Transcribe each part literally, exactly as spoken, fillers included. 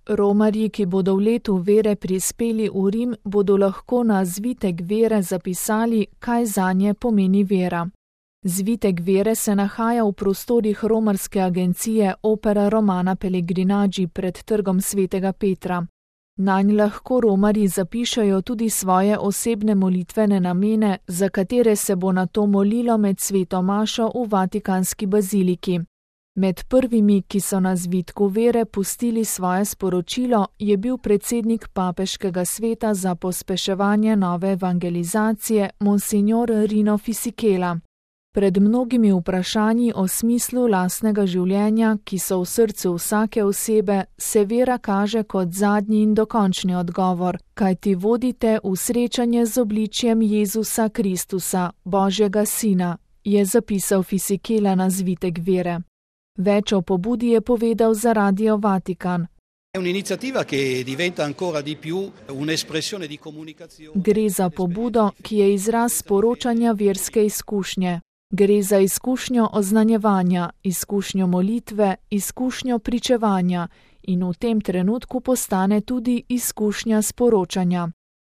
Romarji, ki bodo v letu vere prispeli v Rim, bodo lahko na zvitek vere zapisali, kaj zanje pomeni vera. Zvitek vere se nahaja v prostorih romarske agencije Opera Romana Pellegrinaggi pred trgom svetega Petra. Nanj lahko romarji zapišajo tudi svoje osebne molitvene namene, za katere se bo nato molilo med sveto mašo v Vatikanski baziliki. Med prvimi, ki so na zvitku vere pustili svoje sporočilo, je bil predsednik papeškega sveta za pospeševanje nove evangelizacije, monsignor Rino Fisichella. Pred mnogimi vprašanji o smislu lastnega življenja, ki so v srcu vsake osebe, se vera kaže kot zadnji in dokončni odgovor, kajti vodite v srečanje z obličjem Jezusa Kristusa, Božjega Sina, je zapisal Fisichella na zvitek vere. Več o pobudi je povedal za Radio Vatikan. Gre za pobudo, ki je izraz sporočanja verske izkušnje. Gre za izkušnjo oznanjevanja, izkušnjo molitve, izkušnjo pričevanja in v tem trenutku postane tudi izkušnja sporočanja.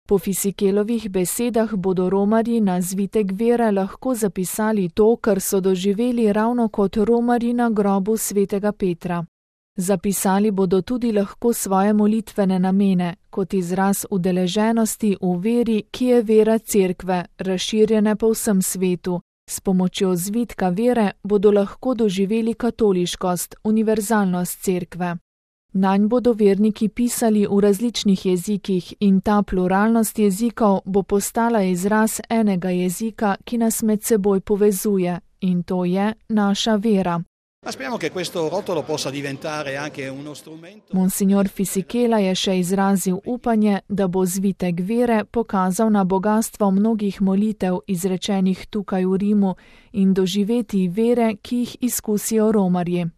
Po Fisichellovih besedah bodo romarji na zvitek vere lahko zapisali to, kar so doživeli ravno kot romarji na grobu svetega Petra. Zapisali bodo tudi lahko svoje molitvene namene, kot izraz udeleženosti v veri, ki je vera cerkve, razširjene po vsem svetu. S pomočjo zvitka vere bodo lahko doživeli katoliškost, univerzalnost cerkve. Nanj bodo verniki pisali v različnih jezikih in ta pluralnost jezikov bo postala izraz enega jezika, ki nas med seboj povezuje, in to je naša vera. Monsignor Fisichella je še izrazil upanje, da bo zvitek vere pokazal na bogastvo mnogih molitev izrečenih tukaj v Rimu in doživeti vere, ki jih izkusijo romarji.